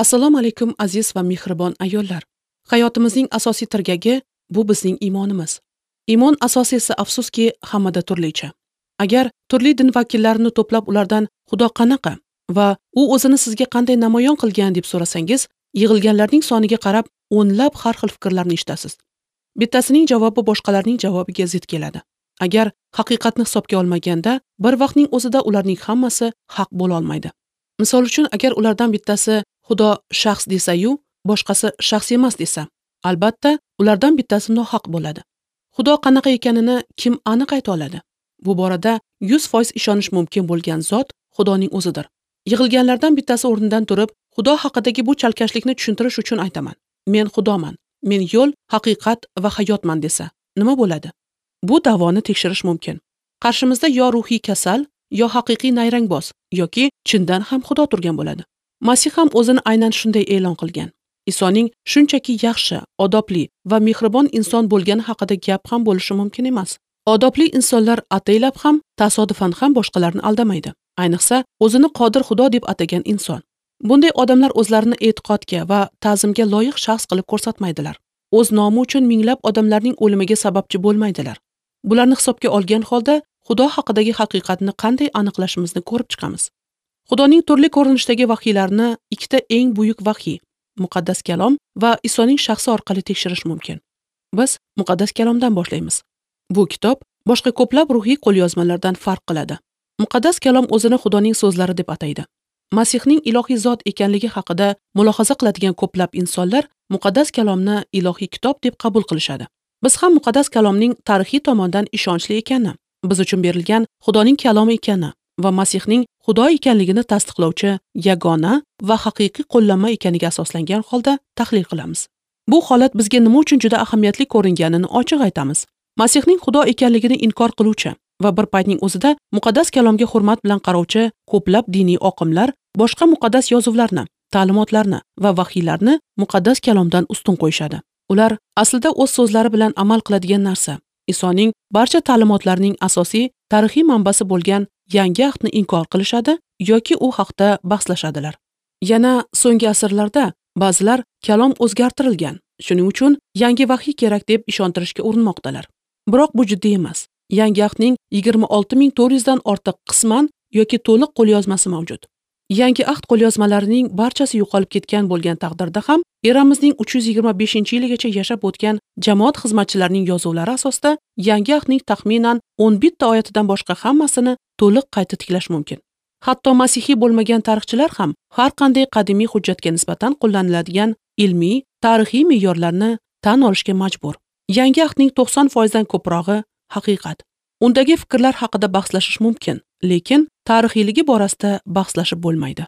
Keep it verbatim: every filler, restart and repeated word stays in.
Assalomu alaykum aziz va mehribon ayollar. Hayotimizning asosiy tirgagi bu bizning iymonimiz. Iymon asosi esa afsuski hammada turlicha. Agar turli din vakillarini to'plab ulardan Xudo qanaqa va u o'zini sizga qanday namoyon qilgan deb so'rasangiz, yig'ilganlarning soniga qarab o'nlab har xil fikrlarni eshitasiz. Bittasining javobi boshqalarning javobiga zid keladi. Agar haqiqatni hisobga olmaganda, bir vaqtning o'zida ularning hammasi haq bo'la olmaydi. Misol uchun, agar ulardan bittasi Xudo shaxs desa-yu, boshqasi shaxs emas desa, albatta ulardan bittasi nohaq bo'ladi. Xudo qanaqa ekanini kim aniq ayta oladi? Bu borada yuz foiz ishonish mumkin bo'lgan zot Xudoning o'zidir. Yig'ilganlardan bittasi o'rnidan turib, Xudo haqidagi bu chalkashlikni tushuntirish uchun aytaman. Men Xudoman. Men yo'l, haqiqat va hayotman desa, nima bo'ladi? Bu da'voni tekshirish mumkin. Qarshimizda yo ruhiy kasal, yo haqiqiy nayrangboz yoki chindan ham Xudo turgan bo'ladi. Masih ham o'zini aynan shunday e'lon qilgan. Isoning shunchaki yaxshi, odobli va mehribon inson bo'lgani haqida gap ham bo'lishi mumkin emas. Odobli insonlar ataylab ham, tasodifan ham boshqalarni aldamaydi. Ayniqsa, o'zini qodir Xudo deb atagan inson. Bunday odamlar o'zlarini e'tiqodga va ta'zimga loyiq shaxs qilib ko'rsatmaydilar. O'z nomi uchun minglab odamlarning o'limiga sababchi bo'lmaydilar. Bularni hisobga olgan holda Xudo haqidagi haqiqatni qanday aniqlashimizni ko'rib chiqamiz. Xudoning turli ko'rinishdagi vahiylarini ikkita eng buyuk vahiy, Muqaddas Kalom va Isoning shaxsi orqali tekshirish mumkin. Biz Muqaddas Kalomdan boshlaymiz. Bu kitob boshqa ko'plab ruhiy qo'lyozmalardan farq qiladi. Muqaddas Kalom o'zini Xudoning so'zlari deb ataydi. Masihning ilohiy zot ekanligi haqida mulohaza qiladigan ko'plab insonlar Muqaddas Kalomni ilohiy kitob deb qabul qilishadi. Biz ham Muqaddas Kalomning tarixiy tomondan ishonchli ekani, biz uchun berilgan Xudoning kalomi ekani va Masihning Xudo ekanligini tasdiqlovchi yagona va haqiqiy qo'llanma ekaniga asoslangan holda tahlil qilamiz. Bu holat bizga nima uchun juda ahamiyatli ko'ringanini ochiq aytamiz. Masihning Xudo ekanligini inkor qiluvchi va bir paytning o'zida Muqaddas Kalomga hurmat bilan qarovchi ko'plab diniy oqimlar boshqa muqaddas yozuvlarni, ta'limotlarni va vahiylarni Muqaddas Kalomdan ustun qo'yishadi. Ular aslida o'z so'zlari bilan amal qiladigan narsa, Isoning barcha ta'limotlarining asosiy tarixiy manbasi bo'lgan yangi ahdni inkor qilishadi yoki u haqda bahslashadilar. Yana so'nggi asrlarda ba'zilar kalom o'zgartirilgan, shuning uchun yangi vahiy kerak deb ishontirishga urinmoqdalar. Biroq bu jiddiy emas. Yangi ahdning yigirma olti ming to'rt yuzdan ortiq qisman yoki to'liq qo'lyozmasi mavjud. Yangi ahd qo'lyozmalarining barchasi yo'qolib ketgan bo'lgan taqdirda ham eramizning uch yuz yigirma beshinchi yiligacha yashab o'tgan jamoat xizmatchilarining yozuvlari asosida yangi ahdning taxminan o'n bitta oyatidan boshqa hammasini to'liq qayta tiklash mumkin. Hatto masihiy bo'lmagan tarixchilar ham har qanday qadimiy hujjatga nisbatan qo'llaniladigan ilmiy, tarixiy me'yorlarni tan olishga majbur. Yangi ahdning to'qson foizdan ko'prog'i haqiqat. Undagi fikrlar haqida bahslashish mumkin, lekin tarixiyligi borasida bahslashib bo'lmaydi.